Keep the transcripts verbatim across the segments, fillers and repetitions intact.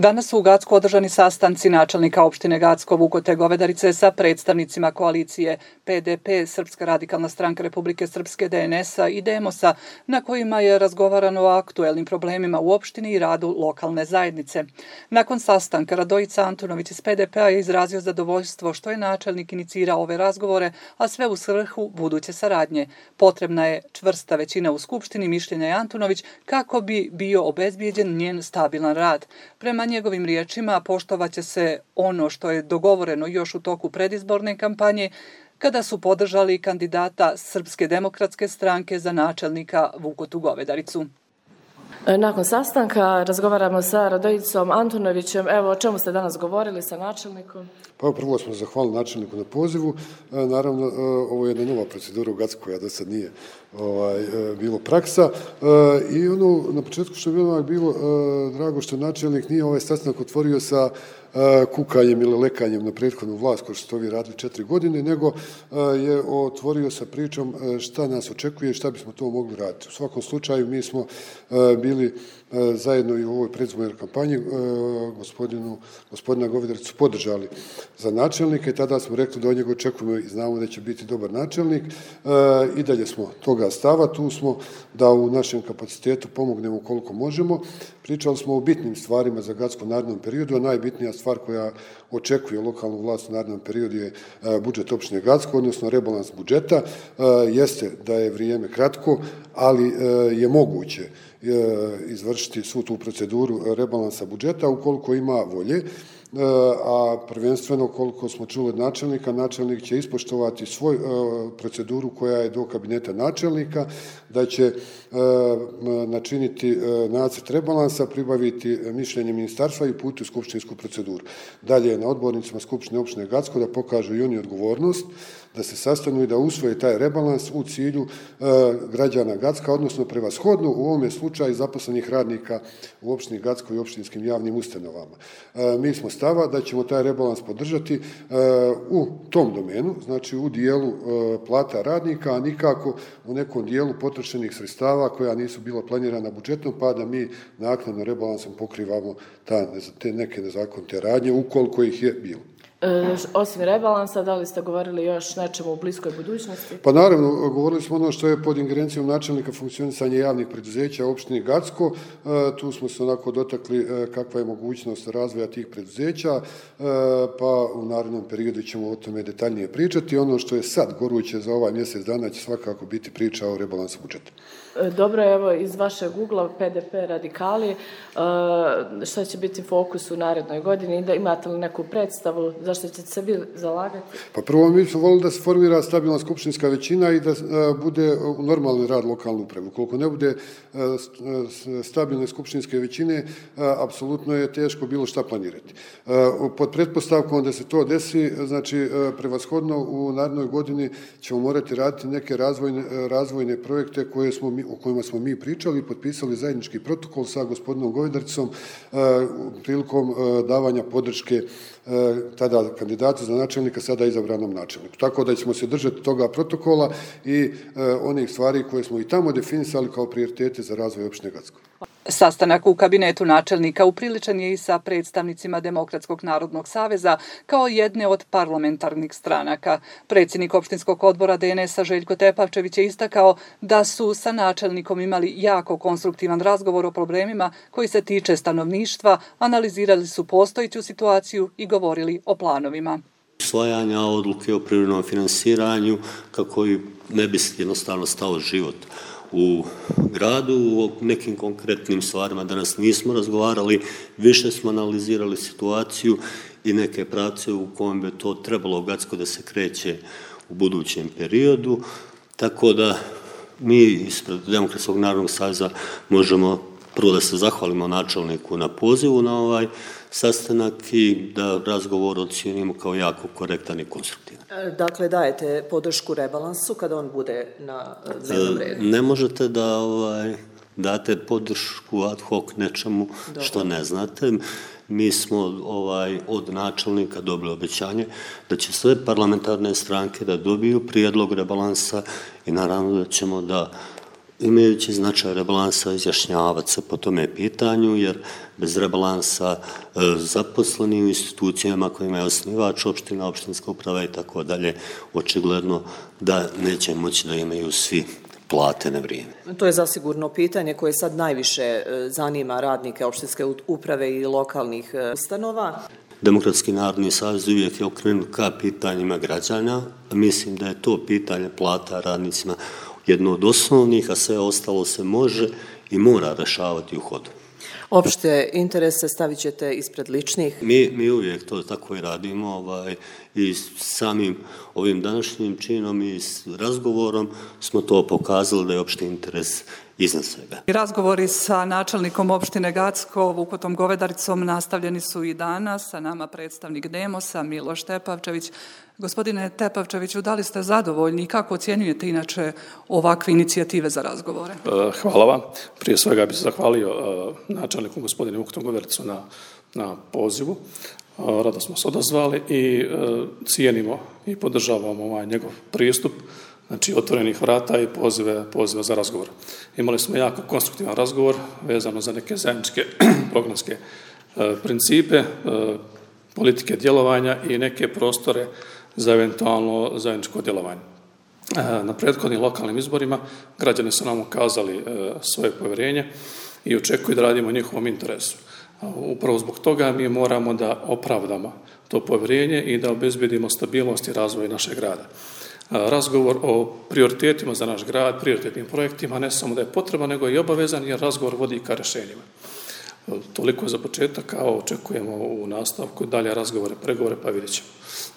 Danas su u Gacku održani sastanci načelnika opštine Gacko, Vukote Govedarice sa predstavnicima koalicije P D P, Srpska radikalna stranka Republike Srpske, D N S-a i Demosa, na kojima je razgovarano o aktuelnim problemima u opštini i radu lokalne zajednice. Nakon sastanka Radojica Antunović iz P D P-a je izrazio zadovoljstvo što je načelnik inicirao ove razgovore, a sve u svrhu buduće saradnje. Potrebna je čvrsta većina u Skupštini, mišljenja je Antunović, kako bi bio obezbijeđen njen stabilan rad. Prema njegovim riječima poštovaće se ono što je dogovoreno još u toku predizborne kampanje, kada su podržali kandidata Srpske demokratske stranke za načelnika Vukotu Govedaricu. Nakon sastanka razgovaramo sa Radojicom Antunovićem. Evo, o čemu ste danas govorili sa načelnikom? Pa prvo smo zahvalili načelniku na pozivu. Naravno, ovo je jedna nova procedura u Gacku koja do sad nije ovaj, bilo praksa. I ono, na početku što je bilo, bilo drago što načelnik nije ovaj sastanak otvorio sa kukanjem ili lekanjem na prethodnu vlast, kao što ste ovi radili četiri godine, nego je otvorio sa pričom šta nas očekuje i šta bismo to mogli raditi. U svakom slučaju, mi smo bili zajedno i u ovoj predizbornoj kampanji gospodinu, gospodina Govedaricu podržali za načelnika i tada smo rekli da od njega očekujemo i znamo da će biti dobar načelnik. I dalje smo toga stava, tu smo da u našem kapacitetu pomognemo koliko možemo. Pričali smo o bitnim stvarima za Gacko u narednom periodu, a najbitnija stvar koja očekuje lokalnu vlast u narednom periodu je budžet opštine Gacko, odnosno rebalans budžeta. Jeste da je vrijeme kratko, ali je moguće izvršiti svu tu proceduru rebalansa budžeta ukoliko ima volje, a prvenstveno koliko smo čuli od načelnika, načelnik će ispoštovati svoju proceduru koja je do kabineta načelnika, da će načiniti nacrt rebalansa, pribaviti mišljenje ministarstva i uputiti u skupštinsku proceduru. Dalje je na odbornicima Skupštine opštine Gacko da pokažu i oni odgovornost, da se sastanu i da usvoje taj rebalans u cilju građana Gacka, odnosno prevashodno u ovome slučaju zaposlenih radnika u opštini Gacko i opštinskim javnim ustanovama. Mi smo stava da ćemo taj rebalans podržati u tom domenu, znači u dijelu plata radnika, a nikako u nekom dijelu potrošenih sredstava koja nisu bila planirana budžetom, pa da mi naknadno rebalansom pokrivamo te neke nezakonite radnje, ukoliko ih je bilo. E, osim rebalansa, da li ste govorili još nečemu u bliskoj budućnosti? Pa naravno, govorili smo ono što je pod ingerencijom načelnika funkcionisanje javnih preduzeća u opštini Gacko. E, tu smo se onako dotakli e, kakva je mogućnost razvoja tih preduzeća, e, pa u narednom periodu ćemo o tome detaljnije pričati. Ono što je sad goruće za ovaj mjesec dana će svakako biti priča o rebalansu budžeta. Dobro, evo, iz vašeg ugla P D P radikali, šta će biti fokus u narednoj godini? Imate li neku predstavu zašto ćete se vi zalagati? Pa prvo, mi smo volili da se formira stabilna skupštinska većina i da bude normalni rad lokalne uprave. Ukoliko ne bude stabilne skupštinske većine, apsolutno je teško bilo šta planirati. Pod pretpostavkom da se to desi, znači prevashodno u narednoj godini ćemo morati raditi neke razvojne, razvojne projekte koje smo mi o kojima smo mi pričali i potpisali zajednički protokol sa gospodinom Govedaricom prilikom davanja podrške tada kandidatu za načelnika, sada izabranom načelniku. Tako da ćemo se držati toga protokola i onih stvari koje smo i tamo definisali kao prioritete za razvoj opštine Gacko. Sastanak u kabinetu načelnika upriličan je i sa predstavnicima Demokratskog narodnog saveza kao jedne od parlamentarnih stranaka. Predsjednik opštinskog odbora D N S-a Željko Tepavčević je istakao da su sa načelnikom imali jako konstruktivan razgovor o problemima koji se tiče stanovništva, analizirali su postojeću situaciju i govorili o planovima. Usvajanja odluke o privremenom finansiranju kako ne bi jednostavno stao život u gradu, o nekim konkretnim stvarima danas nismo razgovarali, više smo analizirali situaciju i neke pravce u kojem bi to trebalo Gacko da se kreće u budućem periodu, tako da mi ispred Demokratskog narodnog saveza možemo prvo da se zahvalimo načelniku na pozivu na ovaj sastanak i da razgovor ocijenimo kao jako korektan i konstruktivan. Dakle, dajete podršku rebalansu kada on bude na dnevnom redu? Ne možete da ovaj, date podršku ad hoc nečemu Dobro. Što ne znate. Mi smo ovaj, od načelnika dobili obećanje da će sve parlamentarne stranke da dobiju prijedlog rebalansa i naravno da ćemo da imajući značaj rebalansa izjašnjavati se po tome pitanju, jer bez rebalansa e, zaposleni u institucijama kojima je osnivač opština, opštinska uprava i tako dalje, očigledno da neće moći da imaju svi plate na vrijeme. To je zasigurno pitanje koje sad najviše zanima radnike opštinske uprave i lokalnih ustanova. Demokratski narodni savez uvijek je okrenut ka pitanjima građana. Mislim da je to pitanje plata radnicima jedno od osnovnih, a sve ostalo se može i mora rešavati u hodu. Opšte interese stavit ćete ispred ličnih? Mi, mi uvijek to tako i radimo ovaj, i samim ovim današnjim činom i s razgovorom smo to pokazali da je opšti interes iznad svega. Razgovori sa načelnikom opštine Gacko, Vukotom Govedaricom, nastavljeni su i danas. Sa nama predstavnik Demosa, Miloš Tepavčević. Gospodine Tepavčeviću, da li ste zadovoljni i kako ocjenjujete inače ovakve inicijative za razgovore? Hvala vam. Prije svega bih se zahvalio načelniku gospodinu Vukotom Govedaricu na, na pozivu. Rado smo se odazvali i cijenimo i podržavamo ovaj njegov pristup, znači otvorenih vrata i pozive, pozive za razgovor. Imali smo jako konstruktivan razgovor vezano za neke zajedničke programske e, principe, e, politike djelovanja i neke prostore za eventualno zajedničko djelovanje. E, na prethodnim lokalnim izborima građani su nam ukazali e, svoje povjerenje i očekuju da radimo u njihovom interesu. Upravo zbog toga mi moramo da opravdamo to povjerenje i da obezbedimo stabilnost i razvoj našeg grada. Razgovor o prioritetima za naš grad, prioritetnim projektima, ne samo da je potreba, nego i obavezan, jer razgovor vodi ka rješenjima. Toliko za početak, a očekujemo u nastavku dalje razgovore, pregovore, pa vidjet ćemo.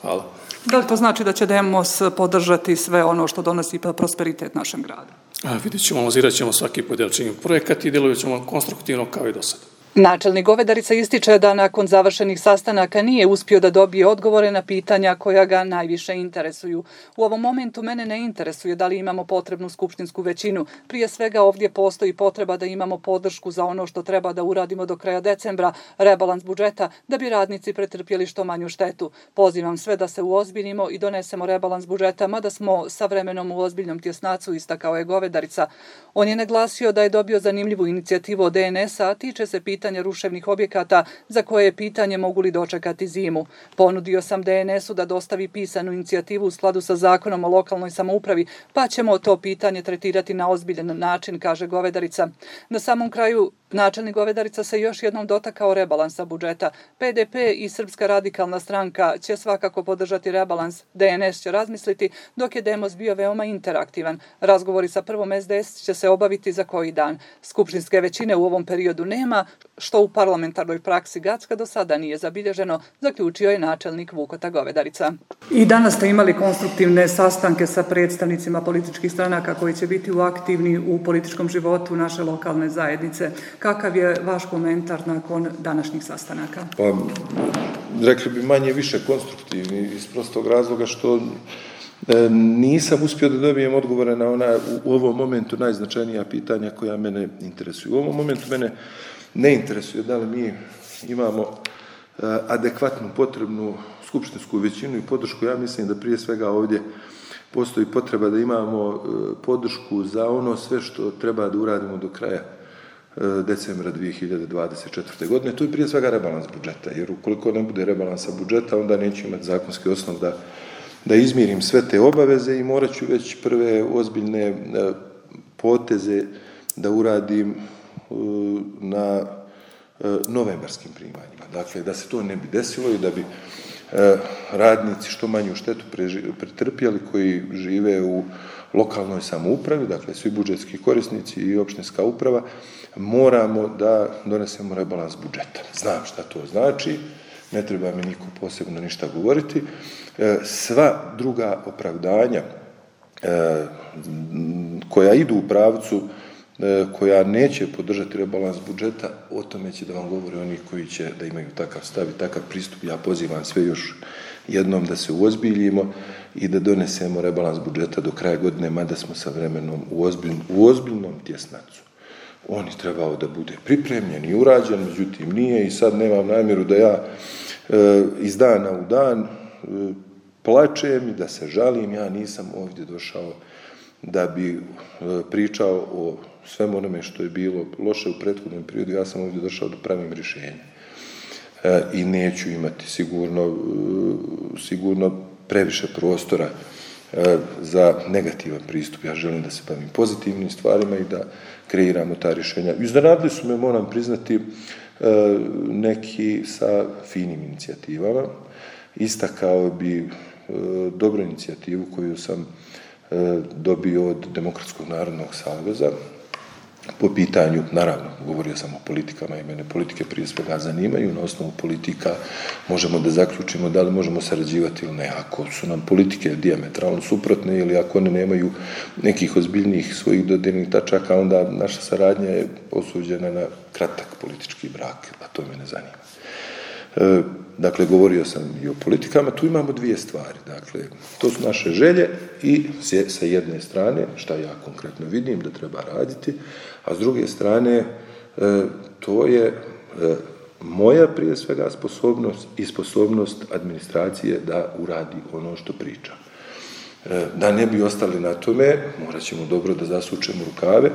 Hvala. Da li to znači da će Demos podržati sve ono što donosi prosperitet našem gradu? A, vidjet ćemo, analizirat ćemo svaki pojedinačni projekat i djelovat ćemo konstruktivno kao i do sada. Načelnik Govedarica ističe da nakon završenih sastanaka nije uspio da dobije odgovore na pitanja koja ga najviše interesuju. U ovom momentu mene ne interesuje da li imamo potrebnu skupštinsku većinu. Prije svega ovdje postoji potreba da imamo podršku za ono što treba da uradimo do kraja decembra, rebalans budžeta, da bi radnici pretrpjeli što manju štetu. Pozivam sve da se uozbiljimo i donesemo rebalans budžeta, mada smo sa vremenom u ozbiljnom tjesnacu, istakao je Govedarica. On je naglasio da je dobio zanimljivu inicijativu od D N S-a, a tiče se pitanja ruševnih objekata za koje je pitanje mogu li dočekati zimu. Ponudio sam D N S-u da dostavi pisanu inicijativu u skladu sa zakonom o lokalnoj samoupravi, pa ćemo to pitanje tretirati na ozbiljan način, kaže Govedarica. Na samom kraju načelnik Govedarica se još jednom dotakao rebalansa budžeta. P D P i Srpska radikalna stranka će svakako podržati rebalans, D N S će razmisliti, dok je Demos bio veoma interaktivan. Razgovori sa prvom S D S će se obaviti za koji dan. Skupštinske većine u ovom periodu nema, što u parlamentarnoj praksi Gacka do sada nije zabilježeno, zaključio je načelnik Vukota Govedarica. I danas ste imali konstruktivne sastanke sa predstavnicima političkih stranaka koji će biti aktivni u političkom životu naše lokalne zajednice. Kakav je vaš komentar nakon današnjih sastanaka? Pa, rekli bi manje više konstruktivni iz prostog razloga što e, nisam uspio da dobijem odgovore na ona u, u ovom momentu najznačajnija pitanja koja mene interesuju. U ovom momentu mene ne interesuje da li mi imamo e, adekvatnu potrebnu skupštinsku većinu i podršku. Ja mislim da prije svega ovdje postoji potreba da imamo e, podršku za ono sve što treba da uradimo do kraja decembra dvije hiljade dvadeset četvrte. godine. To je prije svega rebalans budžeta, jer ukoliko ne bude rebalansa budžeta, onda neću imati zakonski osnov da, da izmirim sve te obaveze i morat ću već prve ozbiljne poteze da uradim na novembarskim primanjima. Dakle, da se to ne bi desilo i da bi radnici što manju štetu pretrpjeli koji žive u lokalnoj samoupravi, dakle svi budžetski korisnici i opštinska uprava, moramo da donesemo rebalans budžeta. Znam šta to znači, ne treba mi niko posebno ništa govoriti. Sva druga opravdanja koja idu u pravcu, koja neće podržati rebalans budžeta, o tome će da vam govore oni koji će da imaju takav stav i takav pristup. Ja pozivam sve još jednom da se uozbiljimo i da donesemo rebalans budžeta do kraja godine, mada smo sa vremenom u, ozbilj, u ozbiljnom tjesnacu. On je trebao da bude pripremljen i urađen, međutim nije i sad nemam namjeru da ja e, iz dana u dan e, plačem i da se žalim. Ja nisam ovdje došao da bi pričao o svemu onome što je bilo loše u prethodnom periodu, ja sam ovdje došao da pravim rješenje. I neću imati sigurno, sigurno previše prostora za negativan pristup. Ja želim da se bavim pozitivnim stvarima i da kreiramo ta rješenja. Iznenadili su me, moram priznati, neki sa finim inicijativama. Istakao bi dobru inicijativu koju sam dobio od Demokratskog narodnog saveza po pitanju, naravno, govorio sam o politikama i mene politike prije svega zanimaju, na osnovu politika možemo da zaključimo da li možemo sarađivati ili ne. Ako su nam politike dijametralno suprotne ili ako one nemaju nekih ozbiljnijih svojih dodirnih tačaka, onda naša saradnja je osuđena na kratak politički brak, a to me ne zanima. E, dakle, govorio sam i o politikama, tu imamo dvije stvari. Dakle, to su naše želje i sa jedne strane, šta ja konkretno vidim da treba raditi, a s druge strane, e, to je e, moja prije svega sposobnost i sposobnost administracije da uradi ono što priča. E, da ne bi ostali na tome, morat ćemo dobro da zasučemo rukave,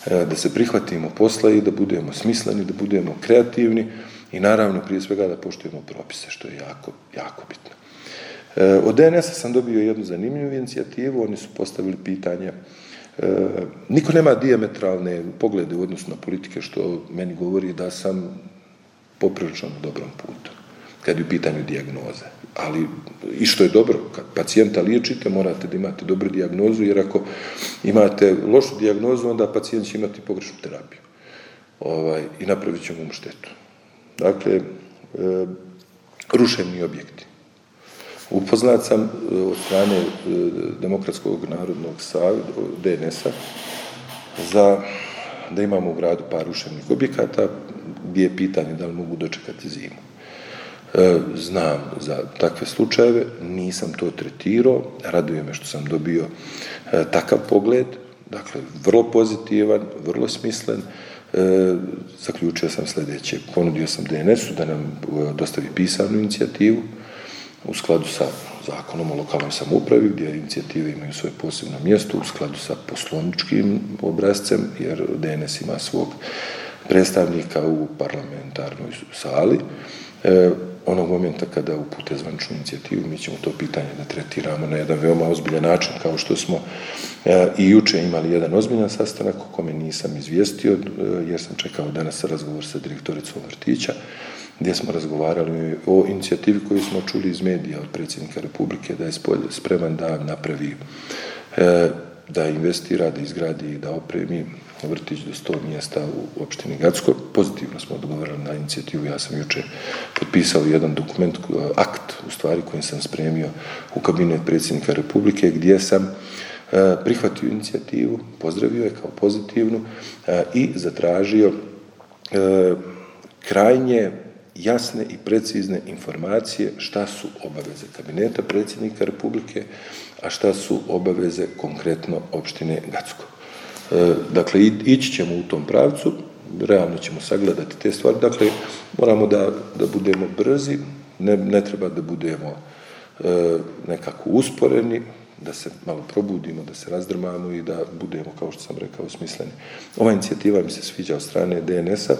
e, da se prihvatimo posla i da budemo smisleni, da budemo kreativni, i naravno, prije svega, da poštujemo propise, što je jako, jako bitno. E, od D N S-a sam dobio jednu zanimljivu inicijativu, oni su postavili pitanje, e, niko nema dijametralne poglede u odnosu na politike, što meni govori da sam poprilično na dobrom putu, kad je u pitanju dijagnoze. Ali, i što je dobro, kad pacijenta liječite, morate da imate dobru dijagnozu, jer ako imate lošu dijagnozu, onda pacijent će imati pogrešnu terapiju. Ovaj, i napravit ćemo mu štetu. Dakle, e, ruševni objekti. Upoznat sam od strane e, Demokratskog narodnog saveza, D N S-a, za, da imamo u gradu par ruševnih objekata gdje je pitanje da li mogu dočekati zimu. E, znam za takve slučajeve, nisam to tretirao, raduje me što sam dobio e, takav pogled, dakle, vrlo pozitivan, vrlo smislen. E, zaključio sam sljedeće. Ponudio sam D N S-u da nam e, dostavi pisanu inicijativu u skladu sa zakonom o lokalnoj samoupravi, gdje inicijative imaju svoje posebno mjesto, u skladu sa poslovničkim obrazcem, jer D N S ima svog predstavnika u parlamentarnoj sali. E, onog momenta kada upute zvaničnu inicijativu, mi ćemo to pitanje da tretiramo na jedan veoma ozbiljan način, kao što smo e, i juče imali jedan ozbiljan sastanak o kome nisam izvijestio, e, jer sam čekao danas razgovor sa direktoricom vrtića, gdje smo razgovarali o inicijativi koju smo čuli iz medija od predsjednika Republike, da je spreman da napravi, e, da investira, da izgradi i da opremi vrtić do sto mjesta u opštini Gacko. Pozitivno smo odgovorili na inicijativu. Ja sam juče potpisao jedan dokument, akt u stvari kojim sam spremio u kabinet predsjednika Republike, gdje sam e, prihvatio inicijativu, pozdravio je kao pozitivnu e, i zatražio e, krajnje jasne i precizne informacije šta su obaveze kabineta predsjednika Republike, a šta su obaveze konkretno opštine Gacko. E, dakle, ići ćemo u tom pravcu, realno ćemo sagledati te stvari, dakle, moramo da, da budemo brzi, ne, ne treba da budemo e, nekako usporeni, da se malo probudimo, da se razdrmamo i da budemo, kao što sam rekao, smisleni. Ova inicijativa mi se sviđa od strane D N S-a,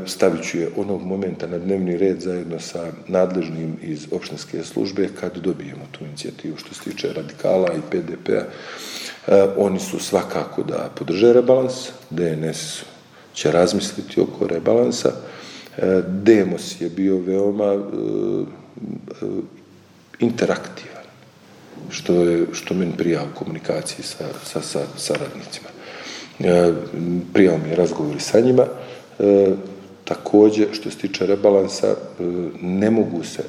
stavit ću je onog momenta na dnevni red zajedno sa nadležnim iz opštinske službe kad dobijemo tu inicijativu. Što se tiče radikala i P D P-a, oni su svakako da podrže rebalans, D N S će razmisliti oko rebalansa. Demos je bio veoma interaktivan, što je, što meni prija u komunikaciji sa, sa, sa saradnicima. Prijao mi je razgovori sa njima. E, također, što se tiče rebalansa, e, ne mogu se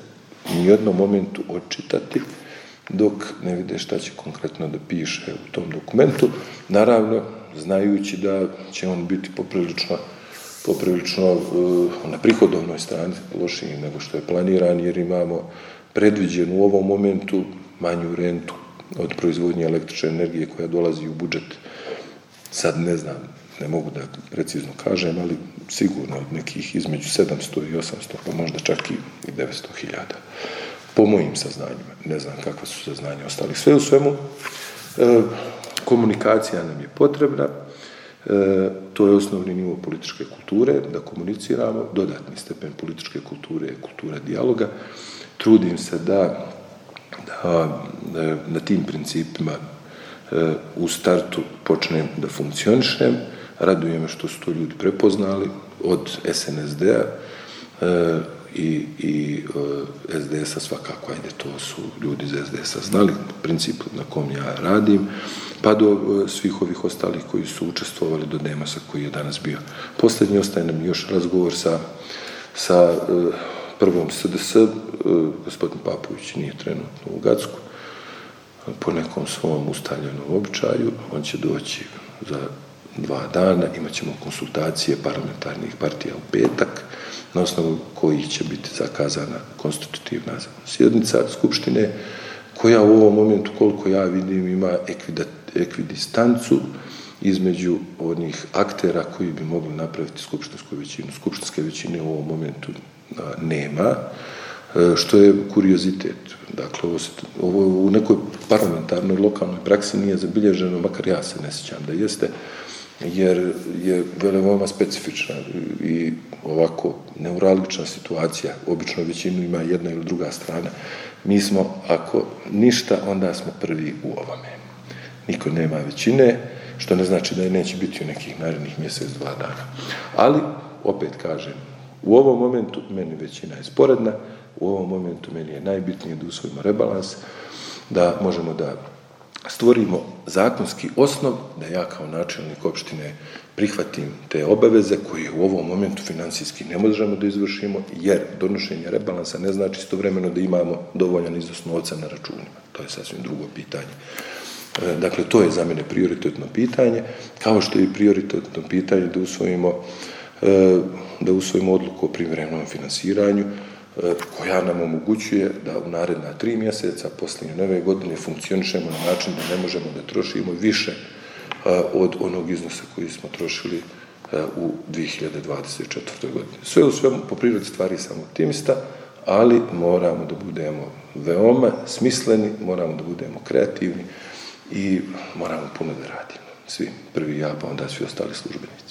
ni u jednom momentu odčitati dok ne vide šta će konkretno da piše u tom dokumentu. Naravno, znajući da će on biti poprilično, poprilično e, na prihodovnoj strani lošiji nego što je planiran, jer imamo predviđenu u ovom momentu manju rentu od proizvodnje električne energije koja dolazi u budžet. Sad ne znam, ne mogu da precizno kažem, ali sigurno od nekih između sedamsto i osamsto, pa možda čak i devetsto hiljada. Po mojim saznanjima, ne znam kakva su saznanja ostalih. Sve u svemu, Komunikacija nam je potrebna, to je osnovni nivo političke kulture, da komuniciramo, dodatni stepen političke kulture je kultura dijaloga. Trudim se da, da na tim principima u startu počnem da funkcionišem. Raduje me što su to ljudi prepoznali od S N S D-a i, i S D S-a svakako, ajde, to su ljudi iz S D S-a znali princip na kom ja radim, pa do svih ovih ostalih koji su učestvovali, do Demosa koji je danas bio. Posljednji ostaje nam još razgovor sa, sa prvom S D S, gospodin Papović nije trenutno u Gacku, po nekom svom ustaljenom običaju, on će doći za dva dana, imat ćemo konsultacije parlamentarnih partija u petak, na osnovu kojih će biti zakazana konstitutivna sjednica Skupštine, koja u ovom momentu, koliko ja vidim, ima ekvidistancu između onih aktera koji bi mogli napraviti skupštinsku većinu. Skupštinske većine u ovom momentu nema, što je kuriozitet. Dakle, ovo, ovo u nekoj parlamentarnoj lokalnoj praksi nije zabilježeno, makar ja se ne sjećam da jeste, jer je veoma specifična i ovako neuralgična situacija. Obično većinu ima jedna ili druga strana. Mi smo, ako ništa, onda smo prvi u ovome. Niko nema većine, što ne znači da je neće biti u nekih narednih mjesec, dva dana. Ali, opet kažem, u ovom momentu meni većina je sporedna, u ovom momentu meni je najbitnije da usvojimo rebalans, da možemo da stvorimo zakonski osnov, da ja kao načelnik opštine prihvatim te obaveze koje u ovom momentu financijski ne možemo da izvršimo, jer donošenje rebalansa ne znači istovremeno da imamo dovoljan iznos novca na računima. To je sasvim drugo pitanje. Dakle, to je za mene prioritetno pitanje, kao što je i prioritetno pitanje da usvojimo, da usvojimo odluku o privremenom finansiranju, koja nam omogućuje da u naredna tri mjeseca poslije nove godine funkcionišemo na način da ne možemo da trošimo više od onog iznosa koji smo trošili u dvije hiljade dvadeset četvrtoj godini. Sve u svemu, po prirodi stvari sam optimista, ali moramo da budemo veoma smisleni, moramo da budemo kreativni i moramo puno da radimo. Svi, prvi ja, pa onda svi ostali službenici.